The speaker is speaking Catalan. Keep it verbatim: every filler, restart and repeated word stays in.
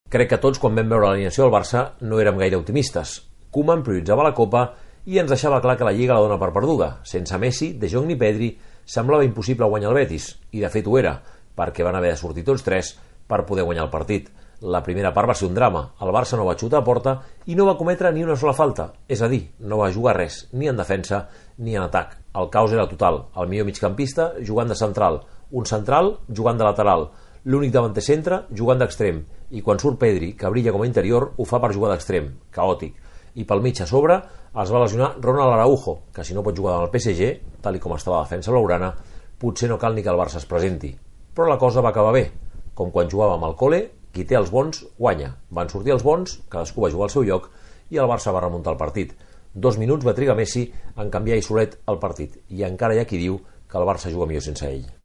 Crec que tots, quan vam veure l'alineació del Barça, no érem gaire optimistes. Koeman prioritzava la Copa i ens deixava clar que la Lliga la dona per perduda. Sense Messi, De Jong ni Pedri, semblava impossible guanyar el Betis, i de fet ho era, perquè van haver de sortir tots tres per poder guanyar el partit. La primera part va ser un drama. El Barça no va xutar a porta i no va cometre ni una sola falta. És a dir, no va jugar res, ni en defensa ni en atac. El caos era total. El millor migcampista jugant de central, un central jugant de lateral, l'únic davanter centre jugant d'extrem, i quan surt Pedri, que brilla com a interior, ho fa per jugar d'extrem, caòtic. I pel mig a sobre es va lesionar Ronald Araujo, que si no pot jugar amb el P S G, tal i com estava la defensa blaugrana, potser no cal ni que el Barça es presenti. Però la cosa va acabar bé, com quan jugàvem al col·le, qui té els bons guanya. Van sortir els bons, cadascú va jugar al seu lloc i el Barça va remuntar el partit. Dos minuts va trigar Messi en canviar i solet el partit, i encara hi ha qui diu que el Barça juga millor sense ell.